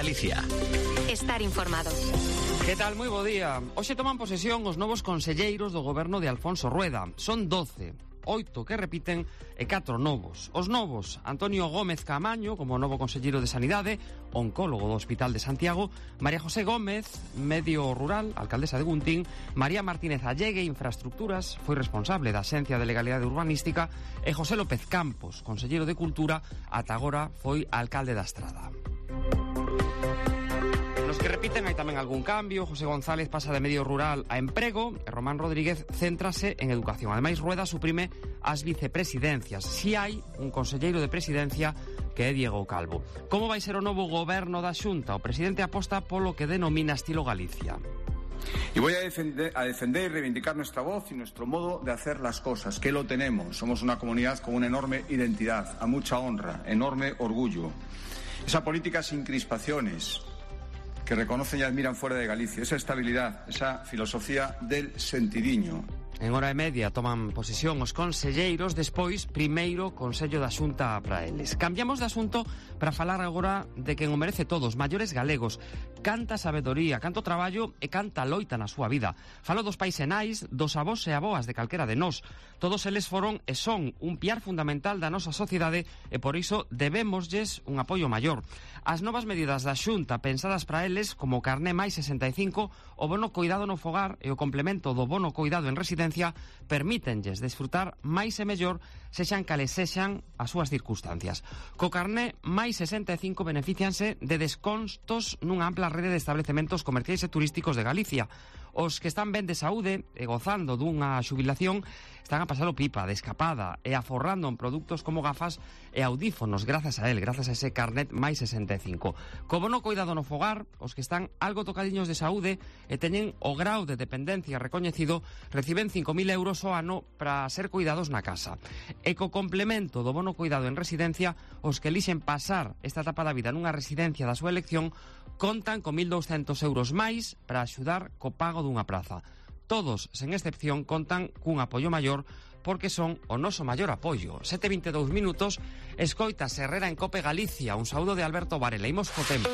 Galicia. Estar informado. Que tal? Moi bo día. Hoxe toman posesión os novos conselleiros do goberno de Alfonso Rueda. Son 12. 8 que repiten e 4 novos. Os novos: Antonio Gómez Caamaño como novo conselleiro de Sanidade, oncólogo do Hospital de Santiago; María José Gómez, medio rural, alcaldesa de Guntín; María Martínez Allegue, infraestructuras, foi responsable da Axencia de Legalidade Urbanística; e José López Campos, conselleiro de Cultura, ata agora foi alcalde da Estrada. Nos que repiten hai tamén algún cambio. José González pasa de medio rural a emprego e Román Rodríguez céntrase en educación. Ademais, Rueda suprime as vicepresidencias. Si hai un conselleiro de presidencia, que é Diego Calvo. Como vai ser o novo goberno da Xunta? O presidente aposta polo que denomina estilo Galicia. Y voy a defender y reivindicar nuestra voz y nuestro modo de hacer las cosas, que lo tenemos. Somos una comunidad con una enorme identidad, a mucha honra, enorme orgullo. Esa política sin crispaciones, que reconocen y admiran fuera de Galicia, esa estabilidad, esa filosofía del sentidiño. En hora e media toman posesión os conselleiros, despois, primeiro, Consello da Xunta para eles. Cambiamos de asunto para falar agora de quen o merece todos, maiores galegos. Canta sabedoría, canto traballo e canta loita na súa vida. Falo dos pais e nais, dos avós e aboas de calquera de nós. Todos eles foron e son un piar fundamental da nosa sociedade e por iso debémoslles un apoio maior. As novas medidas da Xunta pensadas para eles, como o carné máis 65, o bono coidado no fogar e o complemento do bono coidado en residencia, permítenlles desfrutar máis e mellor sexan cales sexan as súas circunstancias. Co carné máis 65 beneficianse de descontos nunha ampla rede de establecementos comerciais e turísticos de Galicia. Os que están ben de saúde e gozando dunha xubilación están a pasar o pipa, de escapada e aforrando en produtos como gafas e audífonos grazas a ese carnet máis 65. Como no coidado no fogar, os que están algo tocadiños de saúde e teñen o grau de dependencia recoñecido reciben 5.000 euros ao ano para ser cuidados na casa. E co complemento do bono coidado en residencia, os que elixen pasar esta etapa da vida nunha residencia da súa elección contan con 1.200 euros máis para axudar co pago dunha praza. Todos, sen excepción, contan cun apoio maior porque son o noso maior apoio. 7:22 minutos, escoitas Herrera en Cope Galicia. Un saúdo de Alberto Varela. Imos co tempo.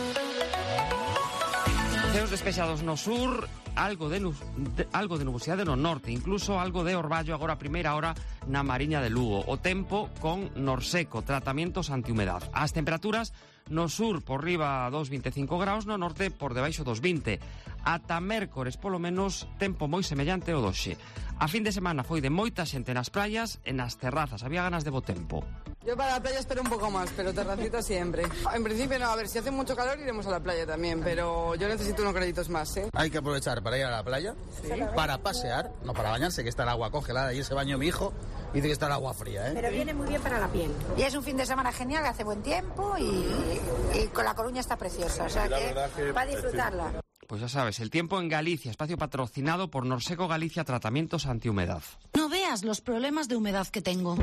Ceos despexados no sur, algo de nubosidade no norte, incluso algo de orballo agora a primeira hora na Mariña de Lugo. O tempo con norseco, tratamientos antihumedad. As temperaturas no sur por riba dos 25 graus, no norte por debaixo dos 20. Ata mércores, polo menos, tempo moi semellante ao doxe. A fin de semana foi de moita xente nas praias e nas terrazas. Había ganas de bo tempo. Yo para la playa espero un poco más, pero terracita siempre. En principio no, a ver, si hace mucho calor iremos a la playa también, pero yo necesito unos créditos más, ¿eh? Hay que aprovechar para ir a la playa, ¿sí? Para pasear, no para bañarse, que está el agua congelada. Ayer se bañó mi hijo y dice que está el agua fría, ¿eh? Pero viene muy bien para la piel. Y es un fin de semana genial, hace buen tiempo y con La Coruña está preciosa, o sea que para disfrutarla. Pues ya sabes, el tiempo en Galicia, espacio patrocinado por Norseco Galicia Tratamientos Antihumedad. No veas los problemas de humedad que tengo.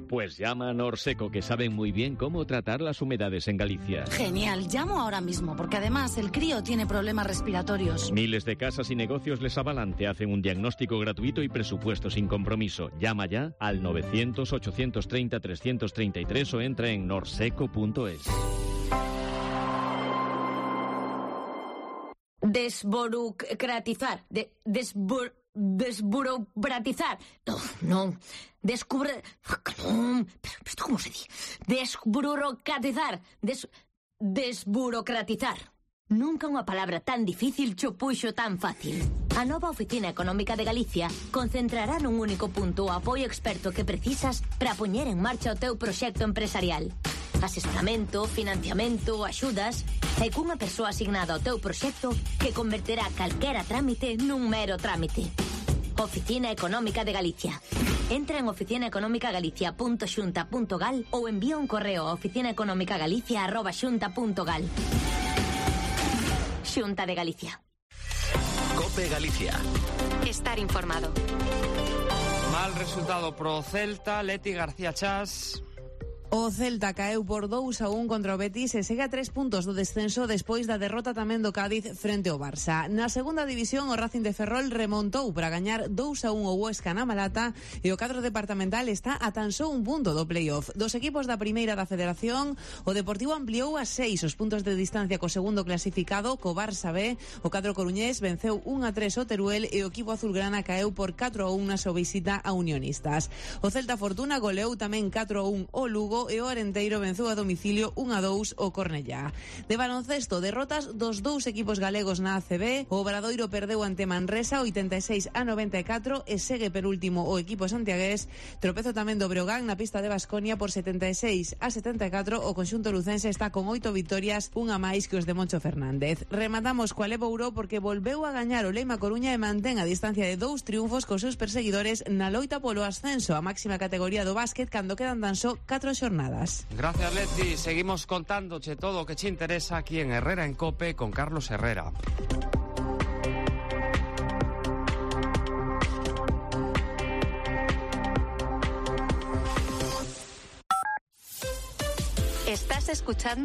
Pues llama a Norseco, que saben muy bien cómo tratar las humedades en Galicia. Genial, llamo ahora mismo, porque además el crío tiene problemas respiratorios. Miles de casas y negocios les avalan, te hacen un diagnóstico gratuito y presupuesto sin compromiso. Llama ya al 900-830-333 o entra en norseco.es. Desburocratizar. Desburocratizar. No. Descubre... ¿Pero esto cómo se dice? Desburocratizar. Desburocratizar. Nunca unha palabra tan difícil cho puxo tan fácil. A nova Oficina Económica de Galicia concentrará nun único punto o apoio experto que precisas para poñer en marcha o teu proxecto empresarial. Asesoramento, financiamento, axudas e cunha persoa asignada ao teu proxecto que converterá calquera trámite nun mero trámite. Oficina Económica de Galicia. Entra en oficinaeconomicagalicia.xunta.gal ou envía un correo a oficinaeconomicagalicia@xunta.gal. Xunta de Galicia. Cope Galicia. Estar informado. Mal resultado pro Celta, Leti García Chas. O Celta caeu por 2-1 contra o Betis e segue a 3 puntos do descenso despois da derrota tamén do Cádiz frente ao Barça. Na segunda división, o Racing de Ferrol remontou para gañar 2-1 o Huesca na Malata e o cadro departamental está a tan só un punto do playoff. Dos equipos da primeira da Federación, o Deportivo ampliou a 6 os puntos de distancia co segundo clasificado, co Barça B. O cadro coruñés venceu 1-3 o Teruel e o equipo azulgrana caeu por 4-1 na súa visita a Unionistas. O Celta Fortuna goleou tamén 4-1 o Lugo e o Arenteiro venceu a domicilio 1-2 o Cornellá. De baloncesto, derrotas dos dous equipos galegos na ACB. O Obradoiro perdeu ante Manresa 86-94 e segue penúltimo o equipo santiagués. Tropezo tamén do Breogán na pista de Baskonia por 76-74. O conxunto lucense está con 8 vitorias, unha máis que os de Moncho Fernández. Rematamos coa Levo Ouro porque volveu a gañar o Leima Coruña e mantén a distancia de 2 triunfos cos seus perseguidores na loita polo ascenso, a máxima categoría do básquet, cando quedan tan só 4 xornadas. Gracias, Leti. Seguimos contándoche todo o que te interesa aquí en Herrera en Cope con Carlos Herrera. Estás escuchando